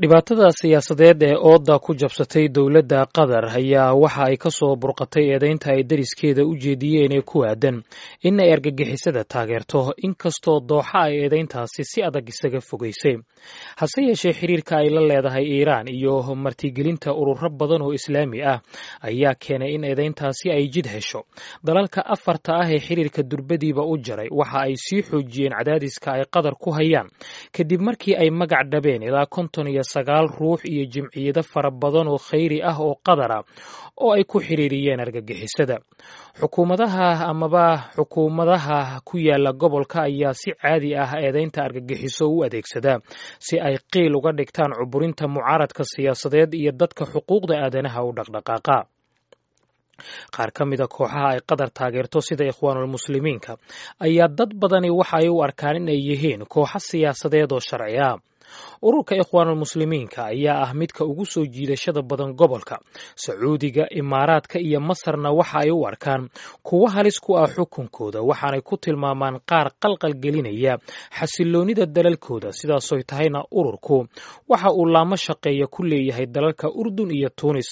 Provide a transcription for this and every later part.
Dhibaatada siyaasadeed ee ooda ku jabsatay dowladda Qatar ayaa waxa ay ka soo burqatay eedeynta ay deriskeeda u jeediyeen ee ku aadan in ay argagixisada taageerto, inkastoo Dooxa ay eedeyntaasi si adag isaga fogeysay. Hase yeeshee, xiriirka ay la leedahay Iiraan iyo martigelinta ururo badan oo Islaami ah ayaa keenay in eedeyntaasi ay jid hesho. Dalalka afarta ah ee xiriirka durbadiiba u jaray waxa ay sii xoojiyeen cadaadiska ay Qatar ku hayaan kadib markii ay magac dhabeen ilaa 59 ruux iyo jimciyado fara badan oo khayri ah oo Qatar ah oo ay ku xiriiriyeen argagixisada. Xukuumadaha amaba xukuumadaha ku yaala gobolka ayaa si caadi ah eedeynta argagixiso u adeegsada si ay qiil uga dhigtaan cuburinta mucaaradka siyaasadeed iyo dadka xuquuqda aadanaha u dhaqdhaqaaqa. Qaar ka mida kooxaha ay Qatar taageerto sida Ikhwaanulmuslimiinka ayaa dad badani waxa ay u arkaan in ay yihiin kooxo siyaasadeed oo sharci ah. Ururka Ikhwaanulmuslimiinka ayaa ah midka ugu soo jiidashada badan gobolka. Sacuudiga, Imaaraadka iyo Masarna waxa ay u arkaan kuwo halis ku ah xukunkooda, waxaanay ku tilmaamaan qaar qalqal gelinaya xasiloonnida dalalkooda. Sidaasoy tahayna, ururku waxa uu laamo shaqeeya ku leeyahay dalalka Urdun iyo Tuunis.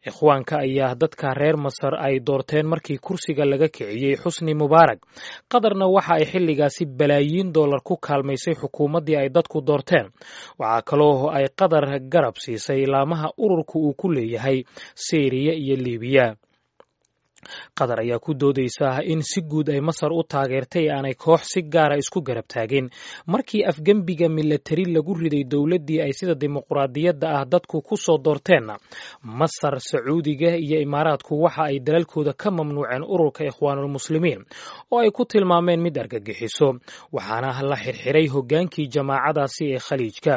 Ikhwaanka ayaa dadka reer Masar ay doorteen markii kursiga laga kiciyey Xusni Mubaarak. Qatarna waxa ay xilligaasi balaayiin dollar ku kaalmaysay xukuumaddii ay dadku doorteen. Waxaa kaloo ay Qatar garab siisay laamaha ururku uu ku leeyahay Siiriya iyo Liibiya. Qatar ayaa ku doodeysa in si guud ay Masar u taageertay ee aanay koox si gaara isku garab taagin markii afgembiga milatari lagu riday dowladdii ay sida dimuqraadiyadda ah dadku ku soo doorteenna. Masar, Sacuudiga iyo Imaaraadku waxa ay dalalkooda ka mamnuuceen ururka Ikhwaanulmuslimiin oo ay ku tilmaameen mid argagixiso, waxaana la xirxiray hoggaankii jamaacadaasi ee Khaliijka.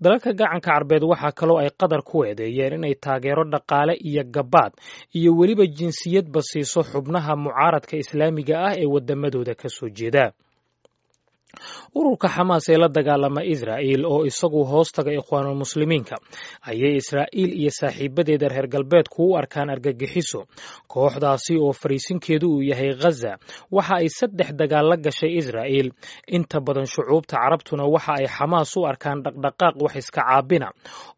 Dalalka Gacanka Carbeed waxaa kaloo ay Qatar ku eedeeyeen inay taageero dhaqaale iyo gabaad iyo weliba jinsiyadba siiso xubnaha mucaaradka Islaamiga ah ee wadamadooda ka soo jeeda. Ururka Xamaas ee la dagaalama Israa'iil oo isagu hoostaga Ikhwaanulmuslimiinka ayay Israa'iil iyo saaxiibadeeda reer galbeedku u arkaan argagixiso. Kooxdaasi oo fariisinkeedu uu yahay Ghaza waxa ay saddex dagaal la gashay Israa'iil. Inta badan shucuubta Carabtuna waxa ay Xamaas u arkaan dhaqdhaqaaq wax iska caabina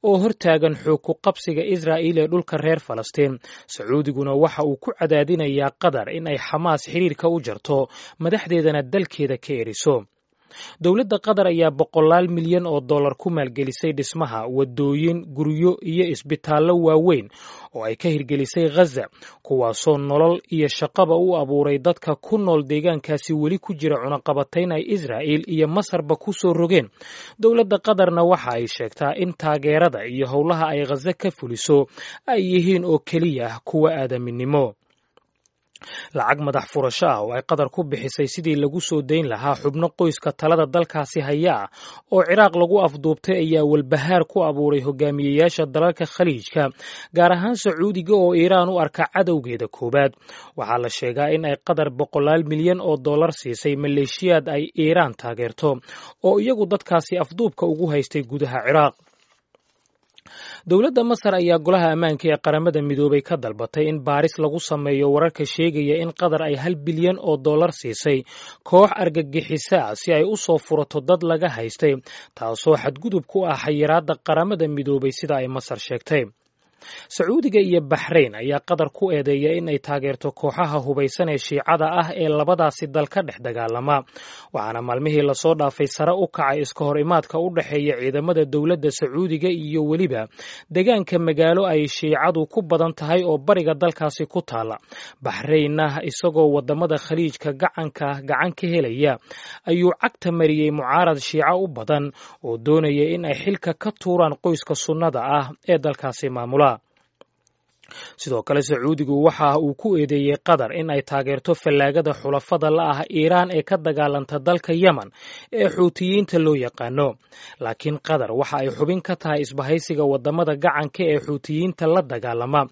oo hortaagan xoog ku qabsiga Israa'iil ee dhulka reer Falastiin. Sacuudiguna waxa uu ku cadaadinayaa Qatar in ay Xamaas xiriirka u jarto, madaxdeedana dalkeeda ka eriso. Dowladda Qatar ayaa boqolaal milyan oo dollar ku maalgelisay dhismaha waddooyin, guryo iyo isbitaallo waaweyn oo ay ka hirgelisay Ghaza, kuwaasoo nolol iyo shaqaba u abuuray dadka ku nool deegaankaasi weli ku jira cunaqabatayn ay Israa'iil iyo Masarba ku soo rogeen. Dowladda Qatarna waxa ay sheegtaa in taageerada iyo howlaha ay Ghaza ka fuliso ay yihiin oo keliya kuwa aadaminimo. Lacag madax furasho ah oo ay Qatar ku bixisay sidii lagu soo dayn lahaa xubno qoyska talada dalkaasi haya ah oo Ciraaq lagu afduubtay ayaa walbahaar ku abuuray hogaamiyeyaasha dalalka Khaliijka, gaar ahaan Sacuudiga oo Iiraan u arka cadowgeeda koowaad. Waxaa la sheegaa in ay Qatar boqolaal milyan oo dollar siisay maleeshiyaad ay Iiraan taageerto oo iyagu dadkaasi afduubka ugu haystay gudaha Ciraaq. Dowladda Masar ayaa Golaha Ammaanka ee Qaramada Midoobay ka dalbatay in baaris lagu sameeyo wararka sheegaya in Qatar ay 1 bilyan oo dollar siisay koox argagixisa ah si ay u soo furato dad laga haystay, taasoo xadgudub ku ah xayiraadda Qaramada Midoobay, sida ay Masar sheegtay. Sacuudiga iyo Baxrayn ayaa Qatar ku eedeeya in ay taageerto kooxaha hubaysan ee Shiicada ah ee labadaasi dal ka dhex dagaalama, waxaana maalmihii lasoo dhaafay sare u kacay iska hor imaadka u dhexeeya ciidamada dowladda Sacuudiga iyo weliba deegaanka magaalo ay Shiicadu ku badan tahay oo bariga dalkaasi ku taala. Baxraynna isagoo wadamada Khaliijka gacanka gacan ka helaya ayuu cagta mariyey mucaarad Shiico u badan oo doonaya in ay xilka ka tuuraan qoyska sunnada ah ee dalkaasi maamula. Sidoo kale, Sacuudigu waxa uu ku eedeeyey Qatar in ay taageerto fallaagada xulafada la ah Iiraan ee ka dagaalanta dalka Yemen ee Xuutiyiinta loo yaqaano. Laakiin Qatar waxa ay xubin ka tahay isbahaysiga wadamada gacanka ee Xuutiyiinta la dagaalama,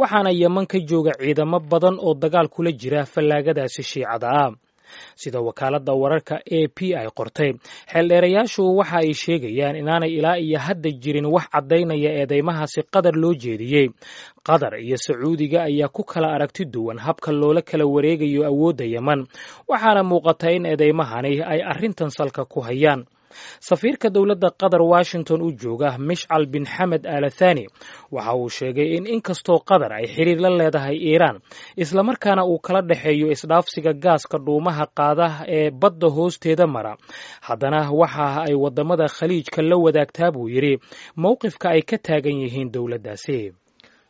waxaana Yemen ka jooga ciidamo badan oo dagaal kula jira fallaagadaasi Shiicada ah, sida wakaaladda wararka AP ay qortay. Xeeldheerayaashu waxa ay sheegayaan inaanay ilaa iyo hadda jirin wax caddaynaya eedeymahaasi Qatar loo jeediyey. Qatar iyo Sacuudiga ayaa ku kala aragti duwan habka loola kala wareegayo awoodda Yemen, waxaana muuqata in eedeymahani ay arrintan salka ku hayaan. Safiirka dowladda Qatar Washington u jooga, Mishcal bin Xamed Alathani, waxa uu sheegay in inkastoo Qatar ay xiriir la leedahay Iiraan, islamarkaana uu kala dhexeeyo isdhaafsiga gaaska dhuumaha qaada ee badda hoosteeda mara, haddana waxa ay waddamada Khaliijka la wadaagtaa, buu yidhi, mowqifka ay ka taagan yihiin dowladdaasi.